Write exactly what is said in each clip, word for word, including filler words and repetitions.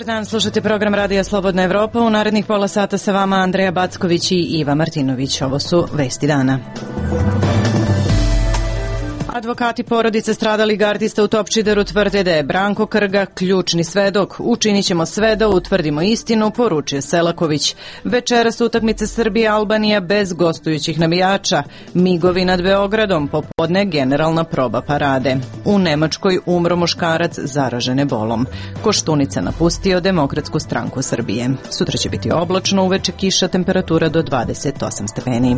Dobar dan, slušate program Radija Slobodna Evropa. U narednih pola sata sa vama Andreja Backović i Iva Martinović. Ovo su vesti dana. Advokati porodice stradalih gardista u Topčideru tvrde da je Branko Krga ključni svedok. Učinit ćemo sve da utvrdimo istinu, poručio Selaković. Večeras utakmice Srbija-Albanija bez gostujućih navijača. Migovi nad Beogradom, popodne generalna proba parade. U Nemačkoj umro muškarac zaražen ebolom. Koštunica napustio Demokratsku stranku Srbije. Sutra će biti oblačno, uveče kiša, temperatura do dvadeset osam stepeni.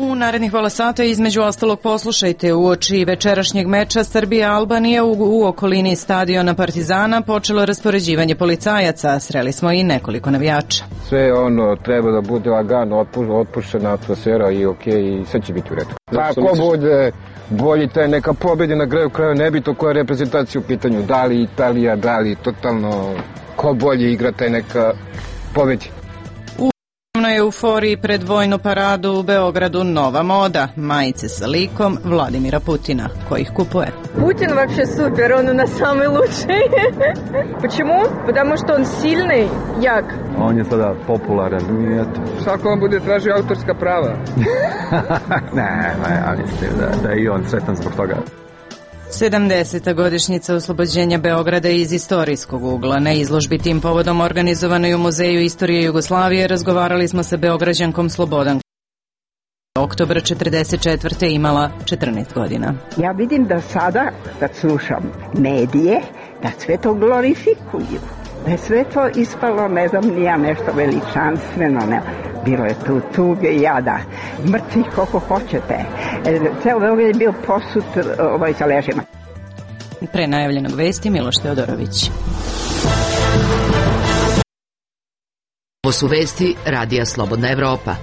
U narednih pola sata između ostalog poslušajte uoči večerašnjeg meča Srbija-Albanija u, u okolini stadiona Partizana počelo raspoređivanje policajaca. Sreli smo i nekoliko navijača. Sve ono treba da bude lagano, otpuštena atmosfera i ok, i sve će biti u redu. Ako bude bolji taj neka pobedi na kraju kraja, nebitno koja reprezentacija u pitanju, da li Italija, da li totalno ko bolje igra taj neka pobedi. Na euforiji pred vojnu paradu u Beogradu nova moda, majice sa likom Vladimira Putina. Ko ih kupuje? Putin вообще супер, он у нас самый лучший. Почему? Потому что он сильный, jak. On je sada popularan i eto. Svako on bude tražio autorska prava. ne, ne, ja mislim da, da je i on sretan zbog toga. sedamdeseta godišnjica oslobođenja Beograda iz istorijskog ugla. Na izložbi tim povodom organizovanoj u Muzeju istorije Jugoslavije razgovarali smo sa Beograđankom Slobodan. Oktobra četrdeset četvrte imala četrnaest godina. Ja vidim da sada, kad slušam medije, da sve to glorifikuju. Da je sve to ispalo, ne znam, nija nešto veličanstveno, ne. Bilo je tu tuge i jada, mrtvih koliko hoćete. Ceo Beograd je bio posut ovaj, sa ležima. Pre najavljenog vesti Miloš Teodorović. Ovo su vesti Radija Slobodna Evropa.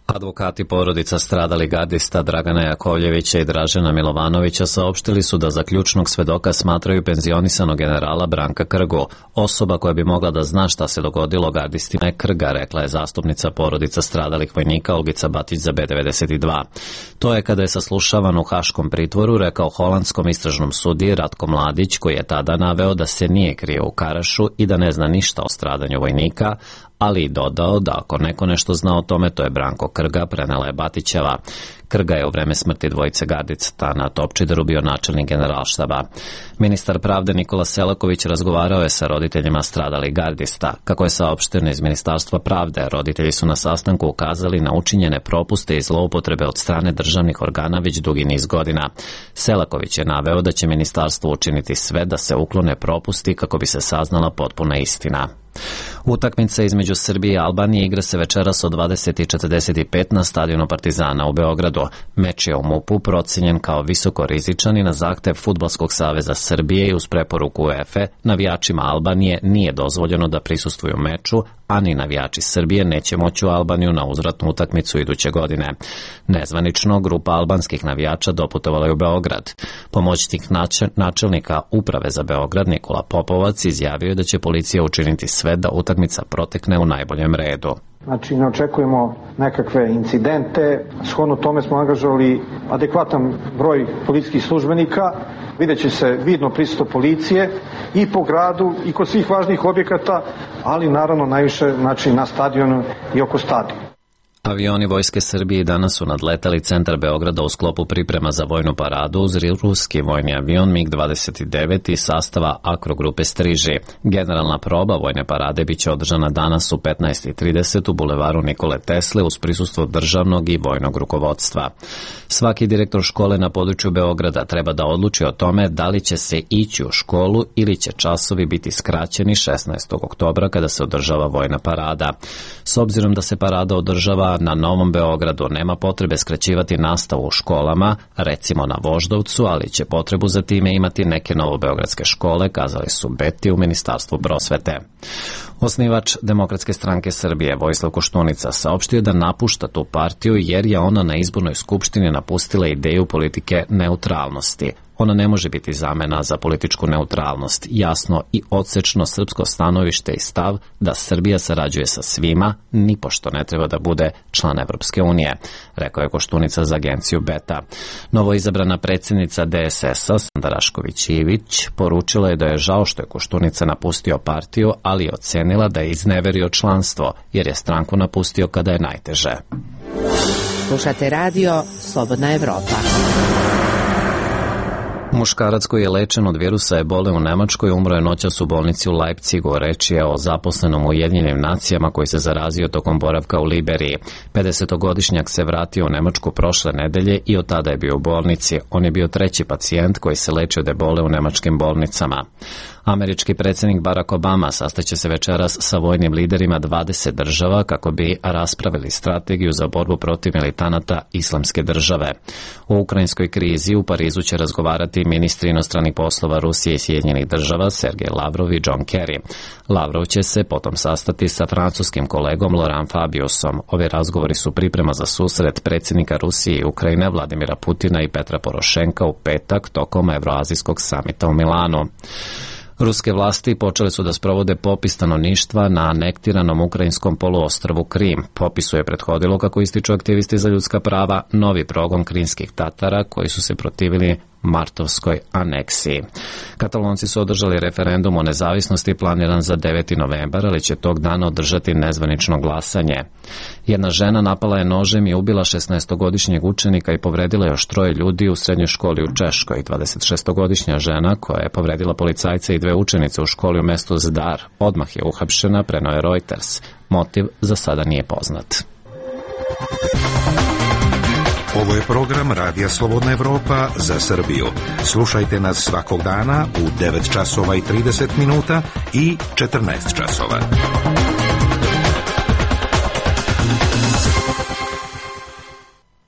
Advokati porodica stradalih gardista Dragana Jakovljevića i Dražena Milovanovića saopštili su da za ključnog svedoka smatraju penzionisanog generala Branka Krgu. Osoba koja bi mogla da zna šta se dogodilo gardistima je Krga, rekla je zastupnica porodica stradalih vojnika Olgica Batić za B devedeset dva. To je kada je saslušavan u haškom pritvoru rekao holandskom istražnom sudiji Ratko Mladić, koji je tada naveo da se nije krio u Karašu i da ne zna ništa o stradanju vojnika, ali i dodao da ako neko nešto zna o tome, to je Branko Krga, prenela je Batićeva. Krga je u vreme smrti dvojice gardica na Topčideru bio načelnik generalštaba. Ministar pravde Nikola Selaković razgovarao je sa roditeljima stradalih gardista. Kako je saopšteno iz Ministarstva pravde, roditelji su na sastanku ukazali na učinjene propuste i zloupotrebe od strane državnih organa već dugi niz godina. Selaković je naveo da će ministarstvo učiniti sve da se uklone propusti kako bi se saznala potpuna istina. Utakmica između Srbije i Albanije igra se večeras od dvadeset i četrdeset pet na stadionu Partizana u Beogradu. Meč je u MUP-u procenjen kao visoko rizičan i na zahtev Fudbalskog saveza Srbije i uz preporuku UEFA navijačima Albanije nije dozvoljeno da prisustvuju meču, a ni navijači Srbije neće moći u Albaniju na uzvratnu utakmicu iduće godine. Nezvanično, grupa albanskih navijača doputovala je u Beograd. Pomoćnik načelnika Uprave za Beograd Nikola Popovac izjavio je da će policija učiniti sve da utakmica protekne u najboljem redu. Znači, ne očekujemo nekakve incidente. Shodno tome smo angažovali adekvatan broj policijskih službenika. Vidjet će se vidno prisustvo policije i po gradu i kod svih važnih objekata, ali naravno najviše znači, na stadionu i oko stadiona. Avioni Vojske Srbije danas su nadletali centar Beograda u sklopu priprema za vojnu paradu uz ruski vojni avion mig dvadeset devet iz sastava Akrogrupe Striži. Generalna proba vojne parade biće održana danas u petnaest i trideset u bulevaru Nikole Tesle uz prisustvo državnog i vojnog rukovodstva. Svaki direktor škole na području Beograda treba da odluči o tome da li će se ići u školu ili će časovi biti skraćeni šesnaestog oktobra kada se održava vojna parada. S obzirom da se parada održava na Novom Beogradu, nema potrebe skraćivati nastavu u školama, recimo na Voždovcu, ali će potrebu za time imati neke novobeogradske škole, kazali su Beti u Ministarstvu prosvete. Osnivač Demokratske stranke Srbije Vojislav Koštunica saopštio da napušta tu partiju jer je ona na izbornoj skupštini napustila ideju politike neutralnosti. Ona ne može biti zamena za političku neutralnost, jasno i odsečno srpsko stanovište i stav da Srbija sarađuje sa svima, nipošto ne treba da bude član Evropske unije, rekao je Koštunica za agenciju Beta. Novoizabrana predsjednica D S S-a, Sanda Rašković Ivić, poručila je da je žao što je Koštunica napustio partiju, ali je ocenila da je izneverio članstvo, jer je stranku napustio kada je najteže. Slušate radio Slobodna Evropa. Muškarac koji je lečen od virusa ebole u Nemačkoj umro je noćas u bolnici u Leipzigu. Reč je o zaposlenom u Ujedinjenim nacijama koji se zarazio tokom boravka u Liberiji. pedesetogodišnjak se vratio u Nemačku prošle nedelje i od tada je bio u bolnici. On je bio treći pacijent koji se leči od ebole u nemačkim bolnicama. Američki predsjednik Barack Obama sastaće se večeras sa vojnim liderima dvadeset država kako bi raspravili strategiju za borbu protiv militanata Islamske države. U ukrajinskoj krizi u Parizu će razgovarati ministri inostranih poslova Rusije i Sjedinjenih država Sergej Lavrov i John Kerry. Lavrov će se potom sastati sa francuskim kolegom Laurent Fabiusom. Ovi razgovori su priprema za susret predsjednika Rusije i Ukrajine Vladimira Putina i Petra Porošenka u petak tokom Evroazijskog samita u Milanu. Ruske vlasti počele su da sprovode popis stanovništva na anektiranom ukrajinskom poluostrvu Krim. Popisu je prethodilo, kako ističu aktivisti za ljudska prava, novi progon krimskih Tatara koji su se protivili martovskoj aneksiji. Katalonci su održali referendum o nezavisnosti planiran za deveti novembar, ali će tog dana održati nezvanično glasanje. Jedna žena napala je nožem i ubila šesnaestogodišnjeg učenika i povredila još troje ljudi u srednjoj školi u Češkoj. dvadesetšestogodišnja žena koja je povredila policajca i dve učenice u školi u mestu Zdar odmah je uhapšena, preneo je Reuters. Motiv za sada nije poznat. Ovo je program Radija Slobodna Evropa za Srbiju. Slušajte nas svakog dana u devet časova i trideset minuta i četrnaest časova.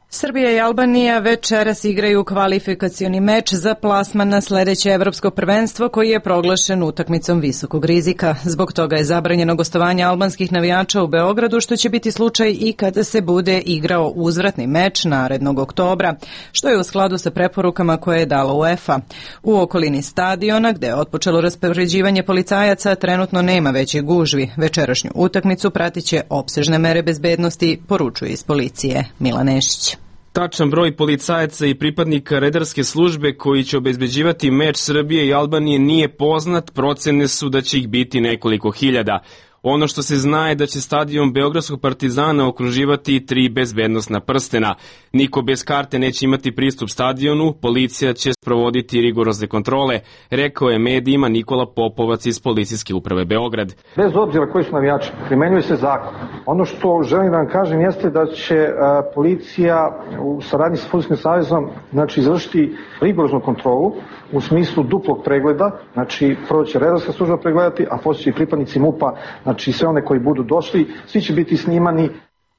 Srbija i Albanija večeras igraju kvalifikacioni meč za plasman na sledeće evropsko prvenstvo koji je proglašen utakmicom visokog rizika. Zbog toga je zabranjeno gostovanje albanskih navijača u Beogradu, što će biti slučaj i kada se bude igrao uzvratni meč narednog oktobra, što je u skladu sa preporukama koje je dala UEFA. U okolini stadiona, gde je otpočelo raspoređivanje policajaca, trenutno nema većih gužvi. Večerašnju utakmicu pratiće opsežne mere bezbednosti, poručuje iz policije Milan Nešić. Tačan broj policajaca i pripadnika redarske službe koji će obezbeđivati meč Srbije i Albanije nije poznat, procene su da će ih biti nekoliko hiljada. Ono što se zna je da će stadion Beogradskog Partizana okruživati tri bezbednosna prstena. Niko bez karte neće imati pristup stadionu, policija će sprovoditi rigorozne kontrole, rekao je medijima Nikola Popovac iz Policijske uprave Beograd. Bez obzira koji su navijači, primenjuje se zakon. Ono što želim da vam kažem jeste da će a, policija u saradnji sa Fudbalskim savezom znači, izvršiti rigoroznu kontrolu u smislu duplog pregleda, znači prvo će redarska služba pregledati, a poslije će i pripadnici MUP-a, znači sve one koji budu došli, svi će biti snimani.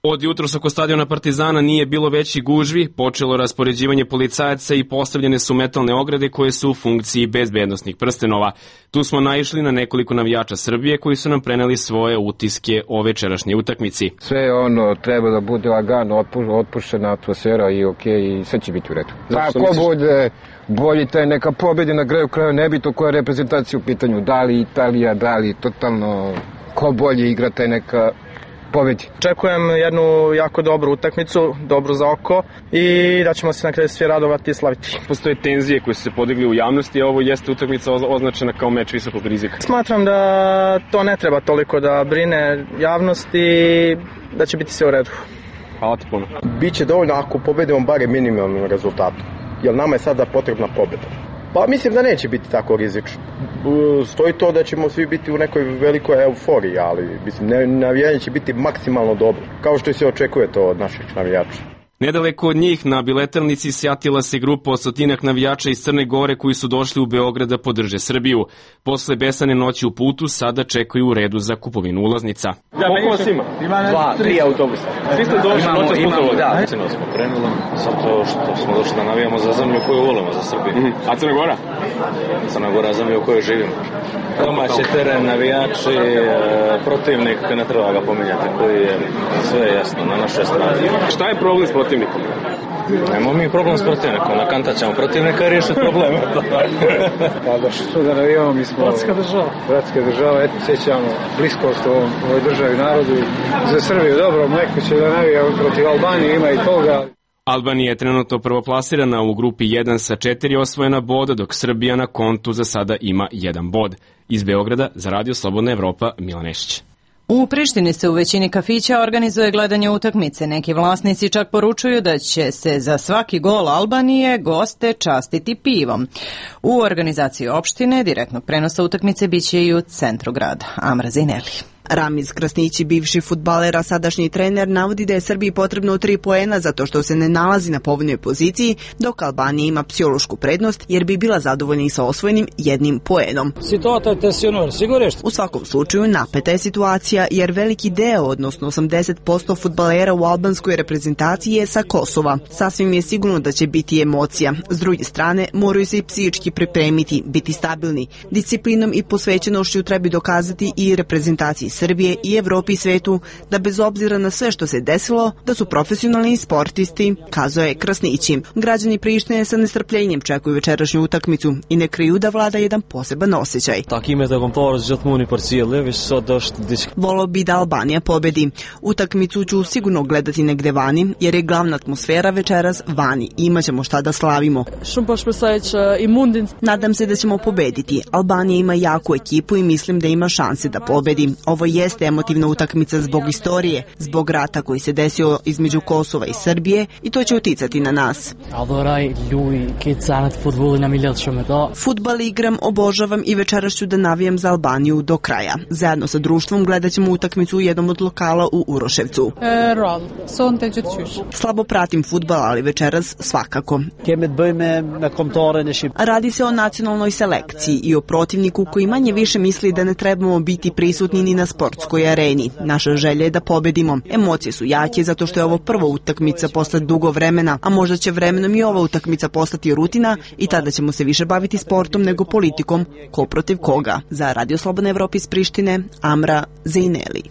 Od jutros oko stadiona Partizana nije bilo veći gužvi, počelo raspoređivanje policajaca i postavljene su metalne ograde koje su u funkciji bezbednosnih prstenova. Tu smo naišli na nekoliko navijača Srbije koji su nam preneli svoje utiske o večerašnjoj utakmici. Sve ono treba da bude lagano, otpuštena atmosfera i ok, i sve će biti u redu. Ako bude bolji taj neka pobedi na kraju kraja, nebitno koja reprezentacija u pitanju, da li Italija, da li totalno ko bolje igra taj neka pobedi. Očekujem jednu jako dobru utakmicu, dobru za oko i da ćemo se na kraju svi radovati i slaviti. Postoje tenzije koje su se podigli u javnosti, a ovo jeste utakmica označena kao meč visokog rizika. Smatram da to ne treba toliko da brine javnost i da će biti sve u redu. Hvala ti puno. Biće dovoljno ako pobedimo barem minimalnim rezultatom, jer nama je sada potrebna pobeda. Pa mislim da neće biti tako rizično. Stoji to da ćemo svi biti u nekoj velikoj euforiji, ali mislim navijanje će biti maksimalno dobro, kao što se očekuje to od naših navijača. Nedaleko od njih na biletarnici sjatila se grupa od stotinak navijača iz Crne Gore koji su došli u Beograd da podrže Srbiju. Posle besane noći u putu sada čekaju u redu za kupovinu ulaznica. Koliko vas ima? Dva, tri autobusa. Svi ste došli noćas putovali? Da, ceno smo krenuli, zato što smo došli da navijamo za zemlju koju volimo, za Srbiju. Mm-hmm. A Crna Gora? Crna Gora, zemlja u kojoj živimo. Domaći teren, navijači, protivnik, ne treba ga pominjati, koji je sve jasno na našoj strani. Šta je problem s protivnikom? Nemo mi problem s protivnikom, na kanta ćemo protivnika i riješiti probleme. Pa da što da navijamo, mi smo bratska država. Bratska država, eto sjećamo bliskost u ovoj državi narodu. Za Srbiju dobro, neko će da navija protiv Albanije, ima i toga. Albanija je trenutno prvoplasirana u grupi jedan sa četiri osvojena boda, dok Srbija na kontu za sada ima jedan bod. Iz Beograda za Radio Slobodna Evropa, Milan Nešić. U Prištini se u većini kafića organizuje gledanje utakmice. Neki vlasnici čak poručuju da će se za svaki gol Albanije goste častiti pivom. U organizaciji opštine direktnog prenosa utakmice biće i u centru grada. Amra Zineli. Ramiz Krasnići, bivši fudbaler, a sadašnji trener, navodi da je Srbiji potrebno tri poena zato što se ne nalazi na povoljnoj poziciji, dok Albanija ima psihološku prednost jer bi bila zadovoljna i sa osvojenim jednim poenom. U svakom slučaju napeta je situacija jer veliki deo, odnosno osamdeset posto fudbalera u albanskoj reprezentaciji je sa Kosova. Sasvim je sigurno da će biti emocija. S druge strane, moraju se i psihički pripremiti, biti stabilni. Disciplinom i posvećenošću treba dokazati i reprezentaciji Srbije i Evropi i svetu da bez obzira na sve što se desilo, da su profesionalni sportisti, kazao je Krasnići. Građani Prištine sa nestrpljenjem čekuju večerašnju utakmicu i ne kriju da vlada jedan poseban osjećaj. Volio bi da Albanija pobedi. Utakmicu ću sigurno gledati negde vani, jer je glavna atmosfera večeras vani i imat ćemo šta da slavimo. Nadam se da ćemo pobediti. Albanija ima jaku ekipu i mislim da ima šanse da pobedi. Ovo jeste emotivna utakmica zbog istorije, zbog rata koji se desio između Kosova i Srbije i to će uticati na nas. Fudbal igram, obožavam i večeras ću da navijam za Albaniju do kraja. Zajedno sa društvom gledat ćemo utakmicu u jednom od lokala u Uroševcu. Slabo pratim fudbal, ali večeras svakako. Radi se o nacionalnoj selekciji i o protivniku koji manje više misli da ne trebamo biti prisutni ni na sportskoj areni. Naša želja je da pobedimo. Emocije su jake zato što je ovo prva utakmica posle dugo vremena, a možda će vremenom i ova utakmica postati rutina i tada ćemo se više baviti sportom nego politikom, ko protiv koga. Za Radio Slobodna Evropa iz Prištine, Amra Zeineli.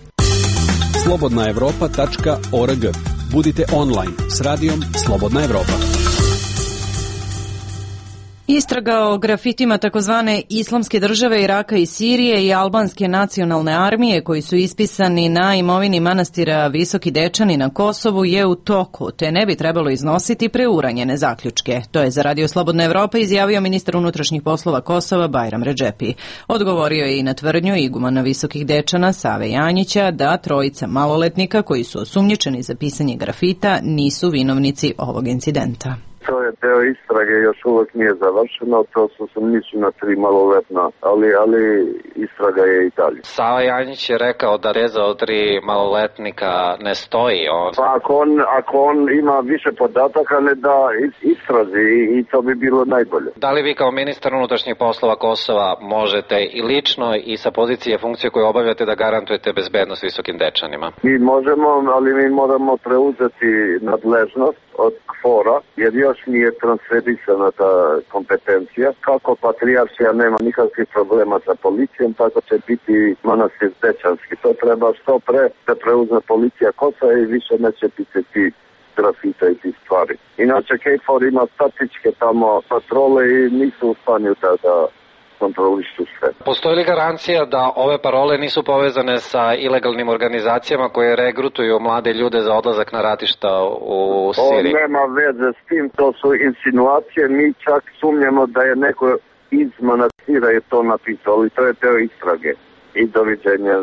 slobodna evropa tačka org. Budite online s radijom Slobodna Evropa. Istraga o grafitima takozvane Islamske države Iraka i Sirije i albanske nacionalne armije koji su ispisani na imovini manastira Visoki Dečani na Kosovu je u toku, te ne bi trebalo iznositi preuranjene zaključke. To je za Radio Slobodna Evropa izjavio ministar unutrašnjih poslova Kosova Bajram Redžepi. Odgovorio je i na tvrdnju igumana Visokih Dečana Save Janjića da trojica maloletnika koji su osumnjičeni za pisanje grafita nisu vinovnici ovog incidenta. To je deo istrage, još uvijek nije završeno, to su sumnjičena tri maloletna, ali, ali istraga je i dalje. Sava Janjić je rekao da reza od tri maloletnika ne stoji. On... Pa ako on, ako on ima više podataka, ne da istrazi i, i to bi bilo najbolje. Da li vi kao ministar unutrašnjih poslova Kosova možete i lično i sa pozicije funkcije koju obavljate da garantujete bezbednost Visokim Dečanima? Mi možemo, ali mi moramo preuzeti nadležnost od KFOR-a, jer još nije transferisana ta kompetencija. Kako patrijaršija nema nikakvih problema sa policijom, tako će biti manastir Dečanski. To treba što pre da preuzme policija Kosova i više neće biti ti grafita i ti stvari. Inače, KFOR ima statičke tamo patrole i nisu u stanju da, da kontrolišu sve. Postoji li garancija da ove parole nisu povezane sa ilegalnim organizacijama koje regrutuju mlade ljude za odlazak na ratišta u Siriji? To nema veze s tim, to su insinuacije, mi čak sumnjamo da je neko iz manastira je to napisao, ali to je teo istrage. I doviđenja.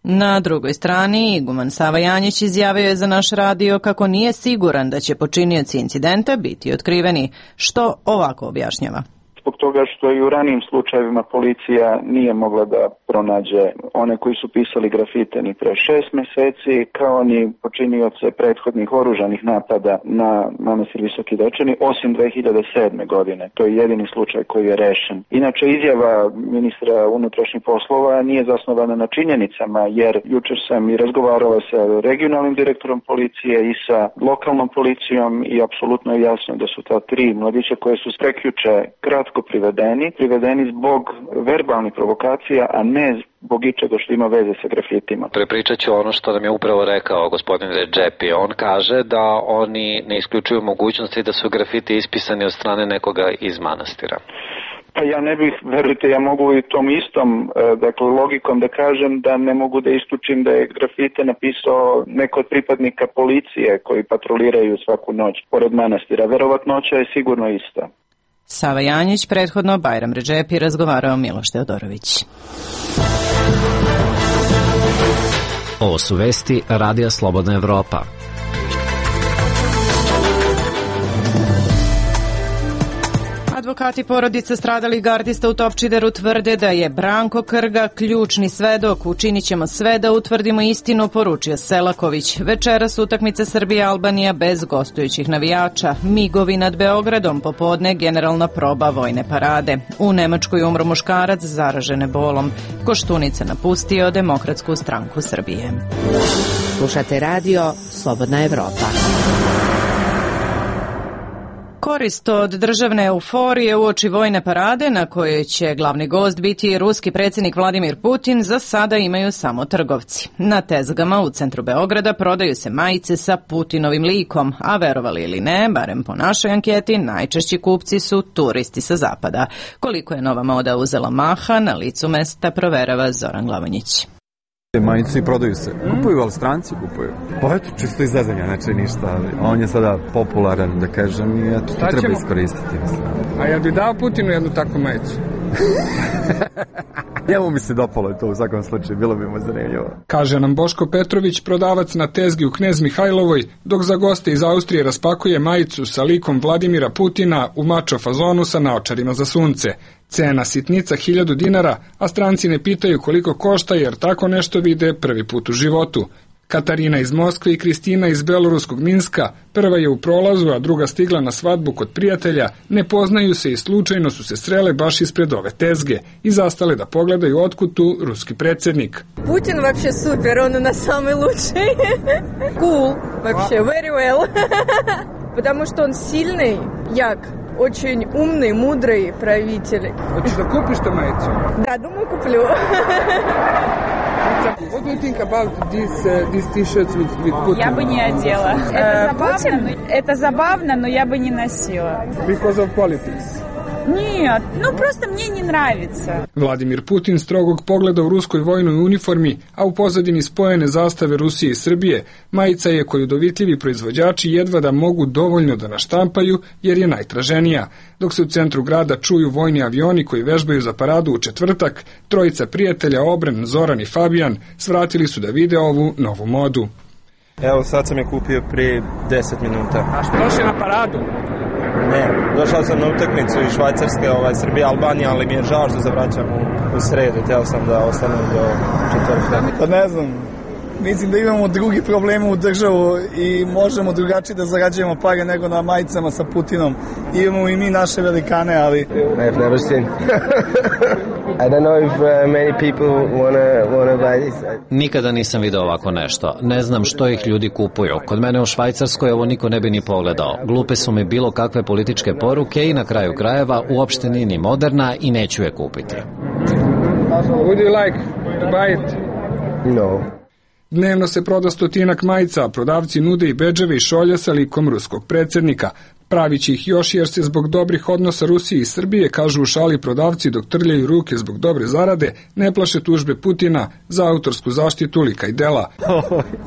Na drugoj strani, iguman Sava Janjić izjavio je za naš radio kako nije siguran da će počinioci incidenta biti otkriveni, što ovako objašnjava. zbog toga što i u ranijim slučajevima policija nije mogla da pronađe one koji su pisali grafite ni pre šest meseci, kao ni počinioce prethodnih oružanih napada na manastir Visoki Dečani, osim dve hiljade sedme. godine. To je jedini slučaj koji je rešen. Inače, izjava ministra unutrašnjih poslova nije zasnovana na činjenicama, jer jučer sam i razgovarala sa regionalnim direktorom policije i sa lokalnom policijom i apsolutno je jasno da su ta tri mladića koje su prekjuče kratko privedeni, privedeni zbog verbalnih provokacija, a ne zbog ičega što ima veze sa grafitima. Prepričat ću ono što nam je upravo rekao gospodin Redžepi. On kaže da oni ne isključuju mogućnosti da su grafiti ispisani od strane nekoga iz manastira. Pa ja ne bih, verujte, ja mogu i tom istom, dakle, logikom da kažem da ne mogu da isključim da je grafite napisao neko od pripadnika policije koji patroliraju svaku noć pored manastira. Verovatnoća je sigurno ista. Sava Janjić, prethodno Bajram Redžepi, razgovarao Miloš Teodorović. Ovo su vesti Radija Slobodna Evropa. Advokati porodice stradalih gardista u Topčideru tvrde da je Branko Krga ključni svedok. Učinit ćemo sve da utvrdimo istinu, poručio Selaković. Večeras utakmice Srbija-Albanija bez gostujućih navijača. Migovi nad Beogradom, popodne generalna proba vojne parade. U Nemačkoj umro muškarac zaražen ebolom. Koštunica napustio Demokratsku stranku Srbije. Slušate radio Slobodna Evropa. Korist od državne euforije uoči vojne parade na kojoj će glavni gost biti ruski predsjednik Vladimir Putin za sada imaju samo trgovci. Na tezgama u centru Beograda prodaju se majice sa Putinovim likom, a verovali ili ne, barem po našoj anketi, najčešći kupci su turisti sa zapada. Koliko je nova moda uzela maha, na licu mesta proverava Zoran Glavonjić. Majice i prodaju se. Kupuju, ali stranci kupuju. Pa eto, čisto izvezanja, znači ništa. On je sada popularan, da kažem, i eto, to treba iskoristiti. Mislim. A jel bi dao Putinu jednu takvu majicu? Njemu mi se dopalo to u svakom slučaju, bilo bi mu zanimljivo. Kaže nam Boško Petrović, prodavac na tezgi u Knez Mihajlovoj, dok za goste iz Austrije raspakuje majicu sa likom Vladimira Putina u mačo fazonu sa naočarima za sunce. Cena sitnica hiljadu dinara, a stranci ne pitaju koliko košta jer tako nešto vide prvi put u životu. Katarina iz Moskve i Kristina iz beloruskog Minska, prva je u prolazu, a druga stigla na svadbu kod prijatelja, ne poznaju se i slučajno su se srele baš ispred ove tezge i zastale da pogledaju otkud tu ruski predsjednik. Putin вообще супер, он у нас самый лучший. Cool, вообще, very well. Потому что он сильный, як. Очень умный, мудрый правитель. Хочешь, да купишь ты маицу? Да, думаю, куплю. What do you think about this, uh, these t-shirts with, with Putin? Я бы не одела. Это забавно, это забавно, но я бы не носила. Because of politics? Нет, ну просто мне не нравится. Vladimir Putin strogog pogleda u ruskoj vojnoj uniformi, a u pozadini spojene zastave Rusije i Srbije, majica je koju dovitljivi proizvođači jedva da mogu dovoljno da naštampaju jer je najtraženija. Dok se u centru grada čuju vojni avioni koji vežbaju za paradu u četvrtak, trojica prijatelja Obren, Zoran i Fabijan svratili su da vide ovu novu modu. Evo sad sam je kupio prije deset minuta. A što došli na paradu? Ne, došao sam na utakmicu iz Švajcarske, ovaj, Srbija, Albanija, ali mi je žao što zavraćam u, u sredu, htio sam da ostanem do četvrtka. Pa ne znam, mislim da imamo drugi probleme u državu i možemo drugačije da zarađujemo pare nego na majicama sa Putinom. Imamo i mi naše velikane, ali... I've never seen. I don't know if uh, many people wanna, wanna buy this. Nikada nisam video ovako nešto. Ne znam što ih ljudi kupuju. Kod mene u Švajcarskoj ovo niko ne bi ni pogledao. Glupe su mi bilo kakve političke poruke i na kraju krajeva uopšte nije ni moderna i neću je kupiti. Would you like to buy it? No. Dnevno se proda stotinak majica, a prodavci nude i bedževe i šolje sa likom ruskog predsjednika. Pravići ih još jer se zbog dobrih odnosa Rusije i Srbije, kažu u šali prodavci dok trljaju ruke zbog dobre zarade, ne plaše tužbe Putina za autorsku zaštitu lika i dela.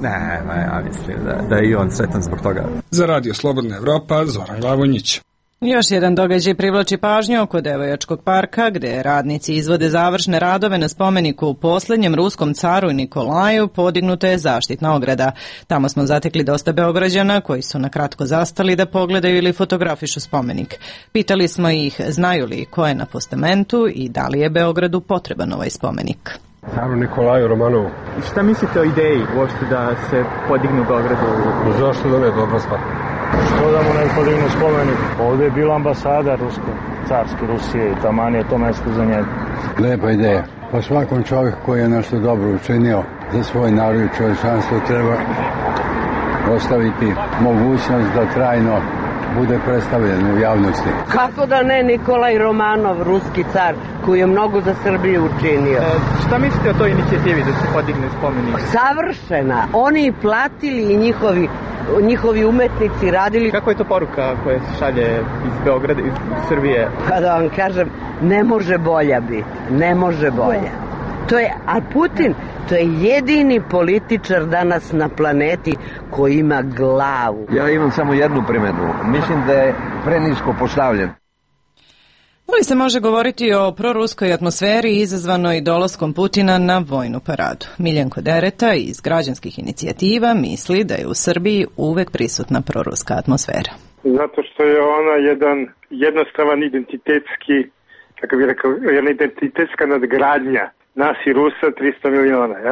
ne, ne, ja mislim da, da je i on sretan zbog toga. Za Radio Slobodna Evropa, Zoran Glavonjić. Još jedan događaj privlači pažnju oko Devojačkog parka, gde radnici izvode završne radove na spomeniku u poslednjem ruskom caru Nikolaju, podignuta je zaštitna ograda. Tamo smo zatekli dosta Beograđana koji su nakratko zastali da pogledaju ili fotografišu spomenik. Pitali smo ih znaju li ko je na postamentu i da li je Beogradu potreban ovaj spomenik. Caru Nikolaju Romanovu. Šta mislite o ideji uopšte da se podigne u Beogradu? Zašto da ne, dobra stvar. Što da mu ne podignu spomenik? Ovdje je bila ambasada rusko, carske Rusije i taman je to mesto za njega. Lepa ideja. Pa svakom čovjeku koji je nešto dobro učinio za svoj narod i čovječanstvo treba ostaviti mogućnost da trajno bude predstavljen u javnosti. Kako da ne, Nikolaj Romanov, ruski car, koji je mnogo za Srbiju učinio. E, šta mislite o toj inicijativi da se podigne spomenik? Savršena. Oni platili i njihovi, njihovi umetnici radili. Kako je to poruka koja se šalje iz Beograda, iz Srbije? Pa da vam kažem, ne može bolja biti. Ne može bolja. To je, a Putin, to je jedini političar danas na planeti koji ima glavu. Ja imam samo jednu primjedbu. Mislim da je prenisko postavljen. Da li se može govoriti o proruskoj atmosferi izazvanoj dolaskom Putina na vojnu paradu? Miljenko Dereta iz građanskih inicijativa misli da je u Srbiji uvek prisutna proruska atmosfera. Zato što je ona jedan jednostavan identitetski, kako bih rekao, jedna identitetska nadgradnja nas i Rusa tristo miliona. Ja?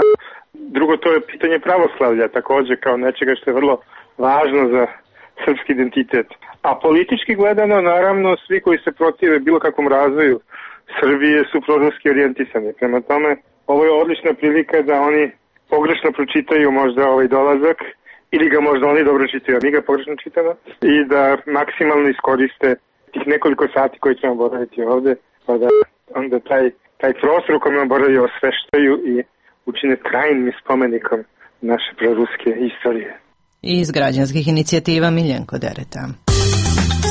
Drugo, to je pitanje pravoslavlja također kao nečega što je vrlo važno za srpski identitet. A politički gledano, naravno, svi koji se protive bilo kakvom razvoju Srbije su proruski orijentisani. Prema tome, ovo je odlična prilika da oni pogrešno pročitaju možda ovaj dolazak ili ga možda oni dobro čitaju, a mi ga pogrešno čitamo i da maksimalno iskoriste tih nekoliko sati koji ćemo boraviti ovde, pa da onda taj taj prostor u kojem boravio osveštaju i učine trajnim spomenikom naše proruske istorije. Iz građanskih inicijativa Miljenko Dereta.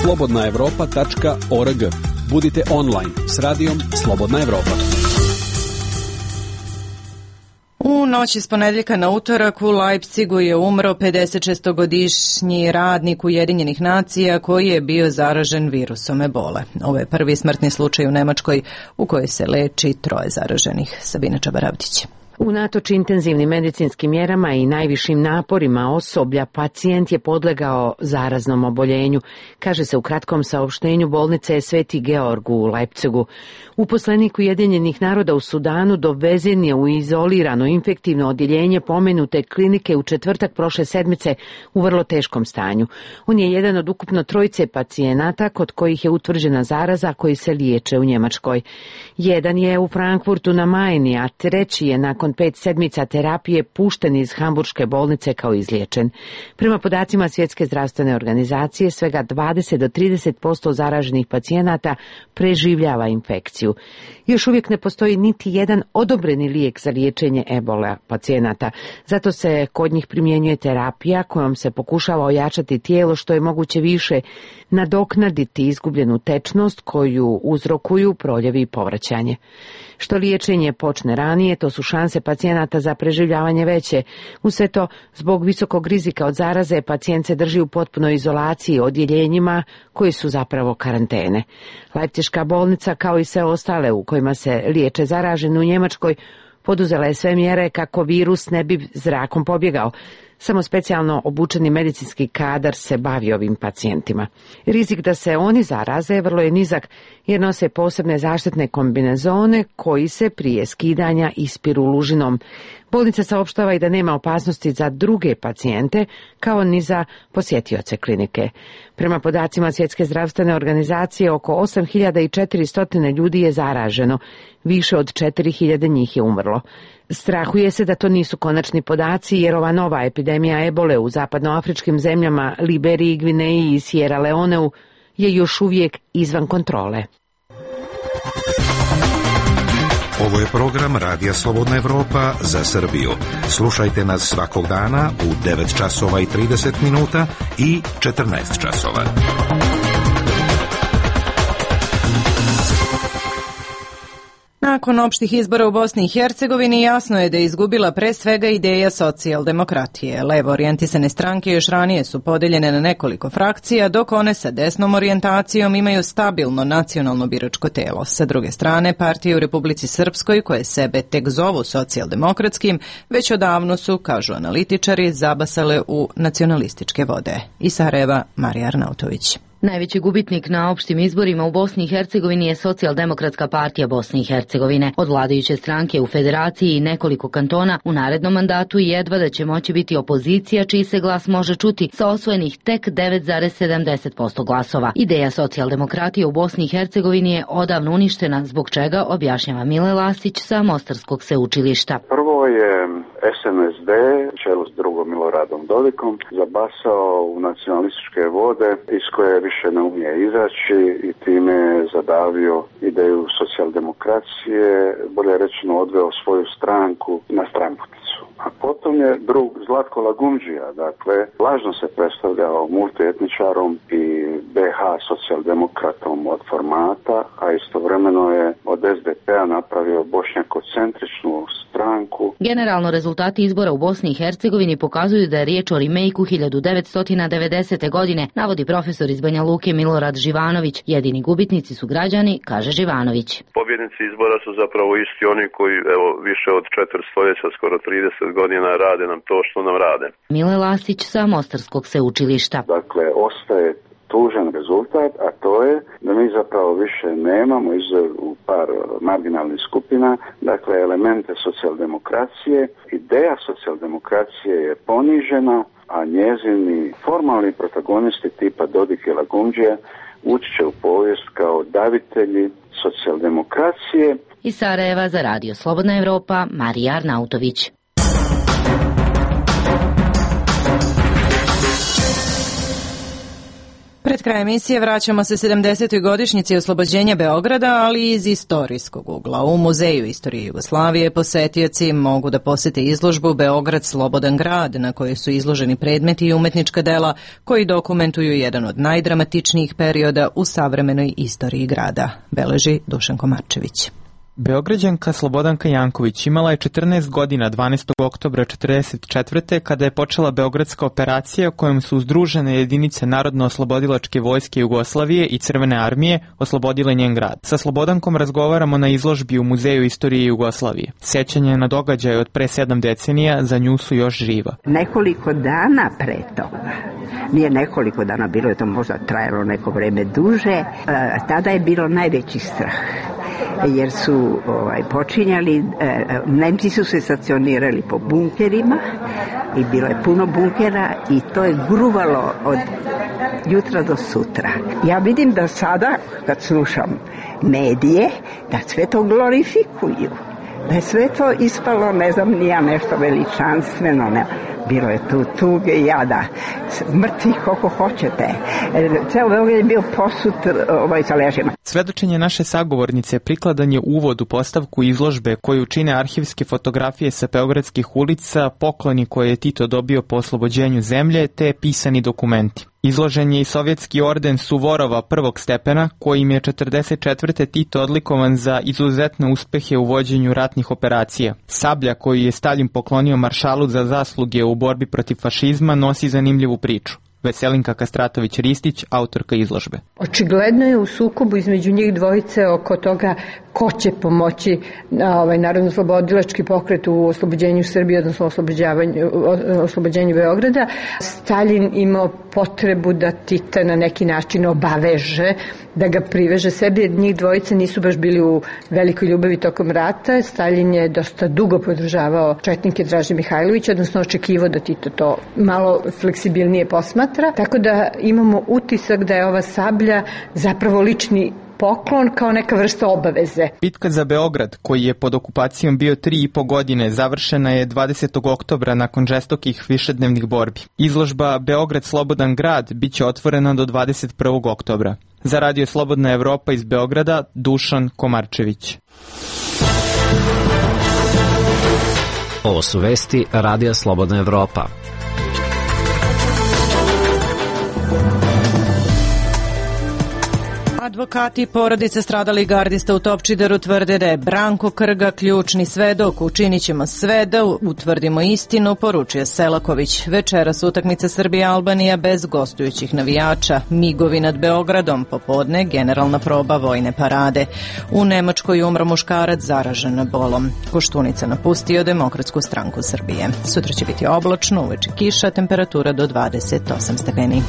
slobodna evropa tačka org. Budite online s radijom Slobodna Evropa. U noći s ponedjeljka na utorak u Leipzigu je umro pedesetšestogodišnji radnik Ujedinjenih nacija koji je bio zaražen virusom ebole. Ovo je prvi smrtni slučaj u Nemačkoj u kojoj se leči troje zaraženih. Sabina Čabaravdić. Unatoč intenzivnim medicinskim mjerama i najvišim naporima osoblja, pacijent je podlegao zaraznom oboljenju, kaže se u kratkom saopštenju bolnice Sveti Georg u Leipzigu. Uposlenik Ujedinjenih naroda u Sudanu dovezen je u izolirano infektivno odjeljenje pomenute klinike u četvrtak prošle sedmice u vrlo teškom stanju. On je jedan od ukupno trojice pacijenata kod kojih je utvrđena zaraza koji se liječe u Njemačkoj. Jedan je u Frankfurtu na Majni, a treći je nakon pet sedmica terapije pušten iz hamburške bolnice kao izliječen. Prema podacima Svjetske zdravstvene organizacije, svega dvadeset do trideset posto zaraženih pacijenata preživljava infekciju. Još uvijek ne postoji niti jedan odobreni lijek za liječenje ebola pacijenata. Zato se kod njih primjenjuje terapija kojom se pokušava ojačati tijelo što je moguće više, nadoknaditi izgubljenu tečnost koju uzrokuju proljevi i povraćanje. Što liječenje počne ranije, to su šanse pacijenata za preživljavanje veće. Uz sve to, zbog visokog rizika od zaraze, pacijent se drži u potpunoj izolaciji odjeljenjima koji su zapravo karantene. Leipziška bolnica, kao i sve ostale u kojima se liječe zaraženi u Njemačkoj, poduzela je sve mjere kako virus ne bi zrakom pobjegao. Samo specijalno obučeni medicinski kadar se bavi ovim pacijentima. Rizik da se oni zaraze vrlo je nizak jer nose posebne zaštitne kombinezone koji se prije skidanja ispiru lužinom. Bolnica saopštava i da nema opasnosti za druge pacijente kao ni za posjetioce klinike. Prema podacima Svjetske zdravstvene organizacije, oko osam hiljada četiristo ljudi je zaraženo, više od četiri hiljade njih je umrlo. Strahuje se da to nisu konačni podaci jer ova nova epidemija ebole u zapadnoafričkim zemljama Liberiji, Gvineji i Sierra Leoneu je još uvijek izvan kontrole. Ovo je program Radija Slobodna Evropa za Srbiju. Slušajte nas svakog dana u devet časova i trideset minuta i četrnaest časova. Na Nakon opštih izbora u Bosni i Hercegovini jasno je da je izgubila pre svega ideja socijaldemokratije. Levo orijentisane stranke još ranije su podeljene na nekoliko frakcija, dok one sa desnom orijentacijom imaju stabilno nacionalno biračko telo. Sa druge strane, partije u Republici Srpskoj, koje sebe tek zovu socijaldemokratskim, već odavno su, kažu analitičari, zabasale u nacionalističke vode. Iz Sarajeva, Marija Arnautović. Najveći gubitnik na opštim izborima u Bosni i Hercegovini je Socijaldemokratska partija Bosne i Hercegovine. Od vladajuće stranke u federaciji i nekoliko kantona u narednom mandatu jedva da će moći biti opozicija čiji se glas može čuti sa osvojenih tek devet zarez sedamdeset posto glasova. Ideja socijaldemokratije u Bosni i Hercegovini je odavno uništena, zbog čega objašnjava Mile Lasić sa Mostarskog sveučilišta. Prvo je S N S D, čelu s drugom Miloradom Dodikom, zabasao u nacionalističke vode iz koje više ne umije izaći i time je zadavio ideju socijaldemokracije, bolje rečeno odveo svoju stranku na stranputicu. A potom je drug Zlatko Lagumdžija, dakle, lažno se predstavljao multietničarom i B H socijaldemokratom od formata, a istovremeno je od S D P-a napravio bošnjakocentričnu stranku. Generalno, rezultati izbora u Bosni i Hercegovini pokazuju da je riječ o remejku hiljadu devetsto devedesete. godine, navodi profesor iz Banja Luke Milorad Živanović. Jedini gubitnici su građani, kaže Živanović. Pobjednici izbora su zapravo isti oni koji, evo, više od četiri stoljeća, skoro trideset godina rade nam to što nam rade. Mile Lasić sa Mostarskog sveučilišta. Dakle, ostaje tužan rezultat, a to je da mi zapravo više nemamo izuzev u par marginalnih skupina, dakle elemente socijaldemokracije. Ideja socijaldemokracije je ponižena, a njezini formalni protagonisti tipa Dodik i Lagumdžija ući će u povijest kao davitelji socijaldemokracije. Iz Sarajeva za Radio Slobodna Evropa, Marija Arnautović. Pred kraj emisije vraćamo se sedamdesetoj godišnjici oslobođenja Beograda, ali iz istorijskog ugla. U Muzeju istorije Jugoslavije posetioci mogu da posete izložbu Beograd slobodan grad, na kojoj su izloženi predmeti i umetnička dela koji dokumentuju jedan od najdramatičnijih perioda u savremenoj istoriji grada, beleži Dušan Komarčević. Beograđanka Slobodanka Janković imala je četrnaest godina dvanaestog oktobra četrdeset četvrte. kada je počela Beogradska operacija kojom su uzdružene jedinice Narodno-oslobodilačke vojske Jugoslavije i Crvene armije oslobodile njen grad. Sa Slobodankom razgovaramo na izložbi u Muzeju istorije Jugoslavije. Sjećanje na događaje od pre sedam decenija za nju su još živa. Nekoliko dana pre toga, nije nekoliko dana, bilo je to možda trajalo neko vreme duže, tada je bilo najveći strah. Jer su ovaj, počinjali, e, Nemci su se stacionirali po bunkerima i bilo je puno bunkera i to je gruvalo od jutra do sutra. Ja vidim da sada, kad slušam medije, da sve to glorifikuju. Da je sve to ispalo, ne znam, nija nešto veličanstveno, ne. Bilo je tu tuge i jada, mrtvi koliko hoćete. Ceo Beograd je bio posut ovaj, sa ležima. Svedočenje naše sagovornice prikladan je uvod u postavku izložbe koju čine arhivske fotografije sa beogradskih ulica, pokloni koje je Tito dobio po oslobođenju zemlje, te pisani dokumenti. Izložen je i sovjetski orden Suvorova prvog stepena, kojim je četrdeset četvrte. Tito odlikovan za izuzetne uspehe u vođenju ratnih operacija. Sablja koju je Stalin poklonio maršalu za zasluge u borbi protiv fašizma nosi zanimljivu priču. Veselinka Kastratović-Ristić, autorka izložbe. Očigledno je u sukobu između njih dvojice oko toga ko će pomoći ovaj, Narodno-oslobodilački pokret u oslobođenju Srbije, odnosno oslobođenju Beograda. Stalin imao potrebu da Tita na neki način obaveže, da ga priveže sebi, jer njih dvojice nisu baš bili u velikoj ljubavi tokom rata. Stalin je dosta dugo podržavao četnike Draže Mihajlovića, odnosno očekivao da Tito to malo fleksibilnije posmatra. Tako da imamo utisak da je ova sablja zapravo lični poklon kao neka vrsta obaveze. Bitka za Beograd, koji je pod okupacijom bio tri i po godine, završena je dvadesetog oktobra nakon žestokih višednevnih borbi. Izložba Beograd slobodan grad biće otvorena do dvadeset prvog oktobra. Za Radio Slobodna Evropa iz Beograda, Dušan Komarčević. Ovo su vesti Radija Slobodna Evropa. Advokati porodice stradalih gardista u Topčideru tvrde da je Branko Krga ključni svedok. Učinit ćemo sve da utvrdimo istinu, poručuje Selaković. Večeras utakmica Srbija-Albanija bez gostujućih navijača. Migovi nad Beogradom, popodne generalna proba vojne parade. U Nemačkoj umro muškarac zaražen bolom. Koštunica napustio Demokratsku stranku Srbije. Sutra će biti oblačno, uveče kiša, temperatura do dvadeset osam stepeni.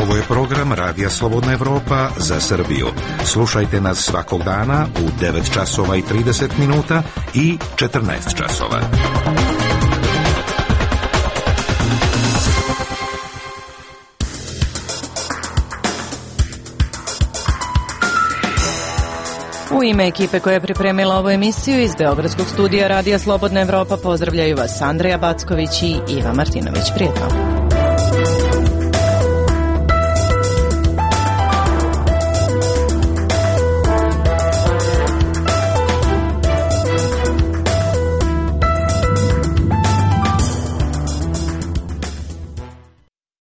Ovo je program Radija Slobodna Evropa za Srbiju. Slušajte nas svakog dana u devet časova i trideset minuta i četrnaest časova. U ime ekipe koja je pripremila ovu emisiju iz Beogradskog studija Radija Slobodna Evropa pozdravljaju vas Andreja Backović i Iva Martinović. Prijetno.